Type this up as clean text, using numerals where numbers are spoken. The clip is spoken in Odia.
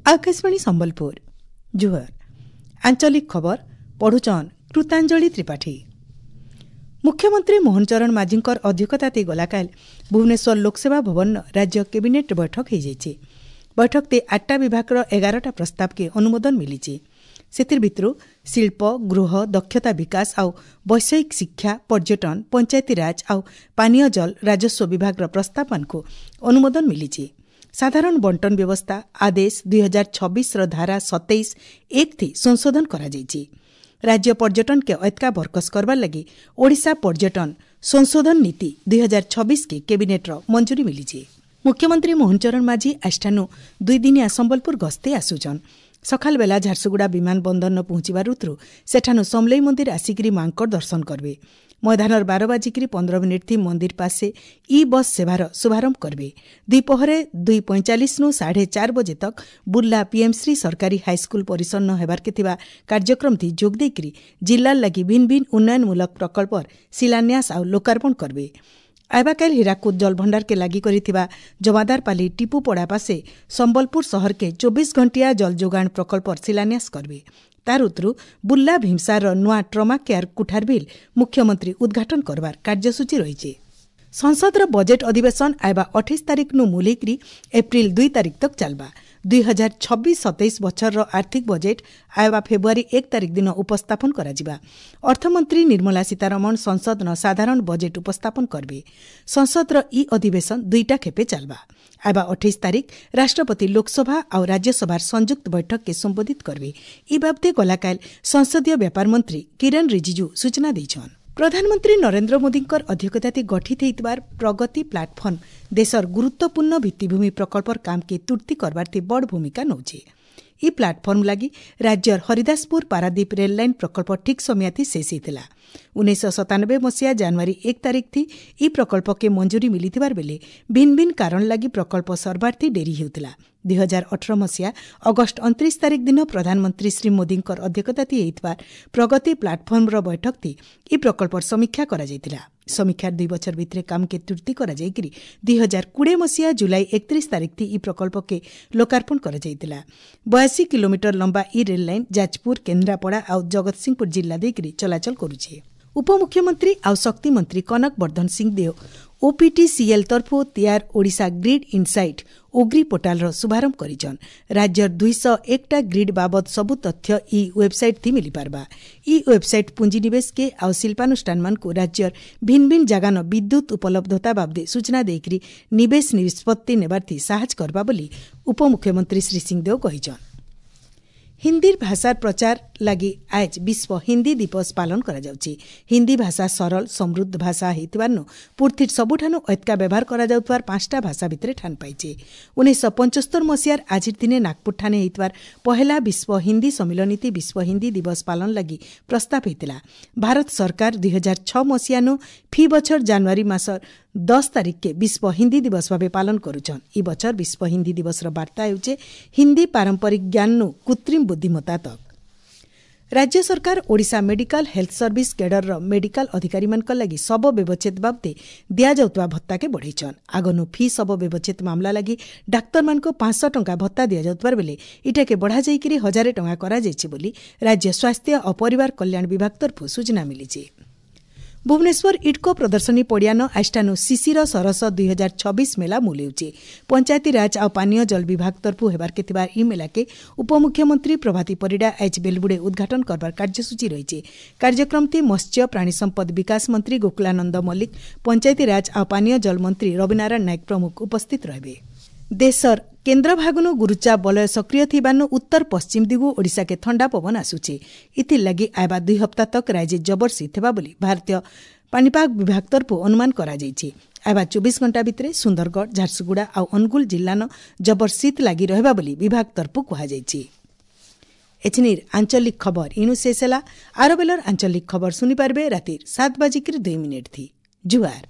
ଆକାଶବାଣୀ ସମ୍ବଲପୁର ଜୁହାର। ଆଞ୍ଚଳିକ ଖବର ପଢୁଛନ୍ କୃତାଞ୍ଜଳି ତ୍ରିପାଠୀ। ମୁଖ୍ୟମନ୍ତ୍ରୀ ମୋହନ ଚରଣ ମାଝୀଙ୍କର ଅଧ୍ୟକ୍ଷତାରେ ଗଲାକାଲ ଭୁବନେଶ୍ୱର ଲୋକସେବା ଭବନ ରାଜ୍ୟ କ୍ୟାବିନେଟ୍ ବୈଠକ ହୋଇଯାଇଛି। ବୈଠକରେ 8ଟା ବିଭାଗର 11ଟା ପ୍ରସ୍ତାବକେ ଅନୁମୋଦନ ମିଳିଛି। ସେଥିର ଭିତରୁ ଶିଳ୍ପ, ଗୃହ, ଦକ୍ଷତା ବିକାଶ ଆଉ ବୈଷୟିକ ଶିକ୍ଷା, ପର୍ଯ୍ୟଟନ, ପଞ୍ଚାୟତିରାଜ ଆଉ ପାନୀୟ ଜଳ, ରାଜସ୍ୱ ବିଭାଗର ପ୍ରସ୍ତାବମାନଙ୍କୁ ଅନୁମୋଦନ ମିଳିଛି। ସାଧାରଣ ବଣ୍ଟନ ବ୍ୟବସ୍ଥା ଆଦେଶ 2026ର ଧାରା 27(1) ସଂଶୋଧନ କରାଯାଇଛି। ରାଜ୍ୟ ପର୍ଯ୍ୟଟନକେ ଅଏତ୍କା ବରକସ କରବାର ଲାଗି ଓଡ଼ିଶା ପର୍ଯ୍ୟଟନ ସଂଶୋଧନ ନୀତି 2026କେ କ୍ୟାବିନେଟ୍ର ମଞ୍ଜୁରୀ ମିଳିଛି। ମୁଖ୍ୟମନ୍ତ୍ରୀ ମୋହନ ଚରଣ ମାଝୀ ଆଜିଠାନୁ 2 ଦିନିଆ ସମ୍ବଲପୁର ଗସ୍ତେ ଆସୁଛନ୍। ସକାଳ ବେଲା ଝାରସୁଗୁଡ଼ା ବିମାନ ବନ୍ଦରନ ପହଞ୍ଚିବାର ଋତୁ ସେଠାନୁ ସମଲେଇ ମନ୍ଦିର ଆସିକିରି ମାଙ୍କର ଦର୍ଶନ କରିବେ। ମଇଦାନର 12:15 ଥି ମନ୍ଦିର ପାଶେ ଇ ବସ୍ ସେବାର ଶୁଭାରମ୍ଭ କରିବେ। ଦ୍ୱିପହରେ 2:45ନୁ 4:30 ବଜେ ତକ୍ ବୁର୍ଲା ପିଏମ୍ଶ୍ରୀ ସରକାରୀ ହାଇସ୍କୁଲ ପରିସରନ ହେବାର୍କେ ଥିବା କାର୍ଯ୍ୟକ୍ରମଥି ଯୋଗ ଦେଇକରି ଜିଲ୍ଲାର ଲାଗି ଭିନ୍ନ ଭିନ୍ନ ଉନ୍ନୟନମୂଳକ ପ୍ରକଳ୍ପର ଶିଳାନ୍ୟାସ ଆଉ ଲୋକାର୍ପଣ କରିବେ। ଆଇବାକାଇଲ ହୀରାକୁଦ ଜଳଭଣ୍ଡାରକେ ଲାଗି କରିଥିବା ଜମାଦାରପାଲି ଟିପୁପଡ଼ା ପାଶେ ସମ୍ବଲପୁର ସହରକେ 24 ଘଣ୍ଟିଆ ଜଳ ଯୋଗାଣ ପ୍ରକଳ୍ପର ଶିଳାନ୍ୟାସ କରିବେ। ତାର ଉତ୍ତରୁ ବୁର୍ଲା ଭୀମସାରର ନୂଆ ଟ୍ରମା କେୟାର କୁଠାର ବିଲ୍ ମୁଖ୍ୟମନ୍ତ୍ରୀ ଉଦ୍ଘାଟନ କରବାର କାର୍ଯ୍ୟସୂଚୀ ରହିଛି। ସଂସଦର ବଜେଟ୍ ଅଧିବେଶନ ଆଇବା 28 ତାରିଖନୁ ମୁଲେଇକରି ଏପ୍ରିଲ 2 ତାରିଖ ତକ୍ ଚାଲବା। 2026-27 ବଛରର ଆର୍ଥିକ ବଜେଟ୍ ଆଇବା ଫେବୃଆରୀ 1 ତାରିଖ ଦିନ ଉପସ୍ଥାପନ କରାଯିବା। ଅର୍ଥମନ୍ତ୍ରୀ ନିର୍ମଳା ସୀତାରମଣ ସଂସଦନ ସାଧାରଣ ବଜେଟ୍ ଉପସ୍ଥାପନ କରିବେ। ସଂସଦର ଇ ଅଧିବେଶନ 2ଟା ଖେପେ ଚାଲବା। ଆଇବା 28 ତାରିଖ ରାଷ୍ଟ୍ରପତି ଲୋକସଭା ଆଉ ରାଜ୍ୟସଭାର ସଂଯୁକ୍ତ ବୈଠକକେ ସମ୍ବୋଧିତ କରିବେ। ଇ ବାବଦେ ଗଲାକାଲ ସଂସଦୀୟ ବ୍ୟାପାର ମନ୍ତ୍ରୀ କିରଣ ରିଜିଜୁ ସୂଚନା ଦେଇଛନ୍। ପ୍ରଧାନମନ୍ତ୍ରୀ ନରେନ୍ଦ୍ର ମୋଦୀଙ୍କର ଅଧ୍ୟକ୍ଷତାରେ ଗଠିତ ହୋଇଥିବାର ପ୍ରଗତି ପ୍ଲାଟଫର୍ମ ଦେଶର ଗୁରୁତ୍ୱପୂର୍ଣ୍ଣ ଭିତ୍ତିଭୂମି ପ୍ରକଳ୍ପର କାମକେ ତୁର୍ତ୍ତି କରବାର୍ଥି ବଡ଼ ଭୂମିକା ନେଉଛି। ଇ ପ୍ଲାଟଫର୍ମ ଲାଗି ରାଜ୍ୟର ହରିଦାସପୁର ପାରାଦୀପ ରେଲ୍ ଲାଇନ୍ ପ୍ରକଳ୍ପ ଠିକ୍ ସମୟାଥି ଶେଷ ହୋଇଥିଲା। 1997 ମସିହା ଜାନୁଆରୀ 1 ତାରିଖ ଥି ଇ ପ୍ରକଳ୍ପକେ ମଞ୍ଜୁରୀ ମିଳିଥିବାର ବେଲେ ଭିନ୍ନ ଭିନ୍ନ କାରଣ ଲାଗି ପ୍ରକଳ୍ପ ସର୍ବାର୍ଥି ଡେରି ହେଉଥିଲା। 2018 ମସିହା ଅଗଷ୍ଟ 29 ତାରିଖ ଦିନ ପ୍ରଧାନମନ୍ତ୍ରୀ ଶ୍ରୀ ମୋଦୀଙ୍କର ଅଧ୍ୟକ୍ଷତାରେ ହୋଇଥିବା ପ୍ରଗତି ପ୍ଲାଟଫର୍ମର ବୈଠକଥି ଇ ପ୍ରକଳ୍ପର ସମୀକ୍ଷା କରାଯାଇଥିଲା। ସମୀକ୍ଷାର 2 ବଛର ଭିତରେ କାମକେ ତୁର୍ତ୍ତି କରାଯାଇକରି 2020 ମସିହା ଜୁଲାଇ 31 ତାରିଖ ଇ ପ୍ରକଳ୍ପକେ ଲୋକାର୍ପଣ କରାଯାଇଥିଲା। 82 କିଲୋମିଟର ଲମ୍ବା ଇ ରେଲ୍ ଲାଇନ୍ ଯାଜପୁର, କେନ୍ଦ୍ରାପଡ଼ା ଆଉ ଜଗତସିଂହପୁର ଜିଲ୍ଲା ଦେଇକରି ଚଳାଚଳ କରୁଛି। ଉପମୁଖ୍ୟମନ୍ତ୍ରୀ ଆଉ ଶକ୍ତି ମନ୍ତ୍ରୀ କନକ ବର୍ଦ୍ଧନ ସିଂଦେଓ ଓପିଟିସିଏଲ୍ ତରଫୁ ତିଆର ଓଡ଼ିଶା ଗ୍ରିଡ୍ ଇନସାଇଟ୍ ଓଗ୍ରି ପୋର୍ଟାଲର ଶୁଭାରମ୍ଭ କରିଛନ୍। ରାଜ୍ୟର 201ଟା ଗ୍ରିଡ୍ ବାବଦ ସବୁ ତଥ୍ୟ ଇ ୱେବସାଇଟ୍ ଥି ମିଳିପାରବା। ଇ ୱେବସାଇଟ୍ ପୁଞ୍ଜିନିବେଶକେ ଆଉ ଶିଳ୍ପାନୁଷ୍ଠାନମାନଙ୍କୁ ରାଜ୍ୟର ଭିନ୍ନ ଭିନ୍ନ ଜାଗାନ ବିଦ୍ୟୁତ୍ ଉପଲବ୍ଧତା ବାବଦେ ସୂଚନା ଦେଇକରି ନିବେଶ ନିଷ୍ପତ୍ତି ନେବାର୍ଥି ସାହାଯ୍ୟ କରବା ବୋଲି ଉପମୁଖ୍ୟମନ୍ତ୍ରୀ ଶ୍ରୀ ସିଂଦେଓ କହିଛନ୍। ହିନ୍ଦୀର ଭାଷାର ପ୍ରଚାର ଲାଗି ଆଜ ବିଶ୍ୱ ହିନ୍ଦୀ ଦିବସ ପାଳନ କରାଯାଉଛି। ହିନ୍ଦୀ ଭାଷା ସରଳ ସମୃଦ୍ଧ ଭାଷା ହେଇଥିବାରୁ ପୃଥିବୀର ସବୁଠାରୁ ଅଏତ୍କା ବ୍ୟବହାର କରାଯାଉଥିବାର 5ଟା ଭାଷା ଭିତରେ ଠାନ ପାଇছে। 1975 ମସିହାର ଆଜିର ଦିନେ ନାଗପୁର ଠାନେ ହେଇଥିବାର ପହେଲା ବିଶ୍ୱ ହିନ୍ଦୀ ସମ୍ମିଳନୀତି ବିଶ୍ୱ ହିନ୍ଦୀ ଦିବସ ପାଳନ ଲାଗି ପ୍ରସ୍ତାବ ହେଇଥିଲା। ଭାରତ ସରକାର 2006 ମସିହାନୁ ଫି ବଛର ଜାନୁଆରୀ ମାସ 10 ତାରିଖକେ ବିଶ୍ୱ ହିନ୍ଦୀ ଦିବସ ଭାବେ ପାଳନ କରୁଛନ୍। ଇ ବଛର ବିଶ୍ୱ ହିନ୍ଦୀ ଦିବସର ବାର୍ତ୍ତା ହେଉଛେ ହିନ୍ଦୀ ପାରମ୍ପରିକ ଜ୍ଞାନନୁ କୃତ୍ରିମ ବୁଦ୍ଧିମତ୍ତା ତକ୍। ରାଜ୍ୟ ସରକାର ଓଡ଼ିଶା ମେଡିକାଲ ହେଲ୍ଥ ସର୍ଭିସ କେଡରର ମେଡିକାଲ ଅଧିକାରୀମାନଙ୍କ ଲାଗି ଶବ ବ୍ୟବଚ୍ଛେଦ ବାବଦେ ଦିଆଯାଉଥିବା ଭତ୍ତାକେ ବଢ଼େଇଛନ୍। ଆଗନୁ ଫି ଶବ ବ୍ୟବଚ୍ଛେଦ ମାମଲା ଲାଗି ଡାକ୍ତରମାନଙ୍କୁ 500 ଟଙ୍କା ଭତ୍ତା ଦିଆଯାଉଥିବାର ବେଲେ ଇଟାକେ ବଢ଼ାଯାଇକରି 1000 ଟଙ୍କା କରାଯାଇଛି ବୋଲି ରାଜ୍ୟ ସ୍ୱାସ୍ଥ୍ୟ ଓ ପରିବାର କଲ୍ୟାଣ ବିଭାଗ ତରଫରୁ ସୂଚନା ମିଳିଛି। ଭୁବନେଶ୍ୱର ଇଡ୍କୋ ପ୍ରଦର୍ଶନୀ ପଡ଼ିଆନ ଆଜିଠାନୁ ଶିଶିର ସରସ 2026 ମେଳା ମୂଲେଉଛି। ପଞ୍ଚାୟତିରାଜ ଆଉ ପାନୀୟ ଜଳ ବିଭାଗ ତରଫରୁ ହେବାର୍କେ ଥିବା ଇ ମେଳାକେ ଉପମୁଖ୍ୟମନ୍ତ୍ରୀ ପ୍ରଭାତୀ ପରିଡ଼ା ଆଜ ବେଲବୁଡ଼େ ଉଦ୍ଘାଟନ କରବାର କାର୍ଯ୍ୟସୂଚୀ ରହିଛି। କାର୍ଯ୍ୟକ୍ରମଟି ମତ୍ସ୍ୟ ପ୍ରାଣୀ ସମ୍ପଦ ବିକାଶ ମନ୍ତ୍ରୀ ଗୋକୁଳାନନ୍ଦ ମଲ୍ଲିକ, ପଞ୍ଚାୟତିରାଜ ଆଉ ପାନୀୟ ଜଳ ମନ୍ତ୍ରୀ ରବିନାରାୟଣ ନାୟକ ପ୍ରମୁଖ ଉପସ୍ଥିତ ରହିବେ। ଦେଶର କେନ୍ଦ୍ରଭାଗନୁ ଗୁରୁଚାପ ବଳୟ ସକ୍ରିୟ ଥିବାନୁ ଉତ୍ତର ପଶ୍ଚିମ ଦିଗୁ ଓଡ଼ିଶାକେ ଥଣ୍ଡା ପବନ ଆସୁଛି। ଇଥିର୍ଲାଗି ଆଇବା 2 ହପ୍ତା ତକ୍ ରାଜ୍ୟ ଜବର ଶୀତ ହେବା ବୋଲି ଭାରତୀୟ ପାଣିପାଗ ବିଭାଗ ତରଫରୁ ଅନୁମାନ କରାଯାଇଛି। ଆଇବା 24 ଘଣ୍ଟା ଭିତରେ ସୁନ୍ଦରଗଡ଼, ଝାରସୁଗୁଡ଼ା ଆଉ ଅନୁଗୁଳ ଜିଲ୍ଲାନ ଜବର ଶୀତ ଲାଗି ରହିବା ବୋଲି ବିଭାଗ ତରଫରୁ କୁହାଯାଇଛି। ଏଛିନିର ଆଞ୍ଚଳିକ ଖବର ଇଣୁ ଶେଷ ହେଲା। ଆର ବେଲର ଆଞ୍ଚଳିକ ଖବର ଶୁଣିପାରିବେ ରାତିର 7:02 ଥି। ଜୁହାର।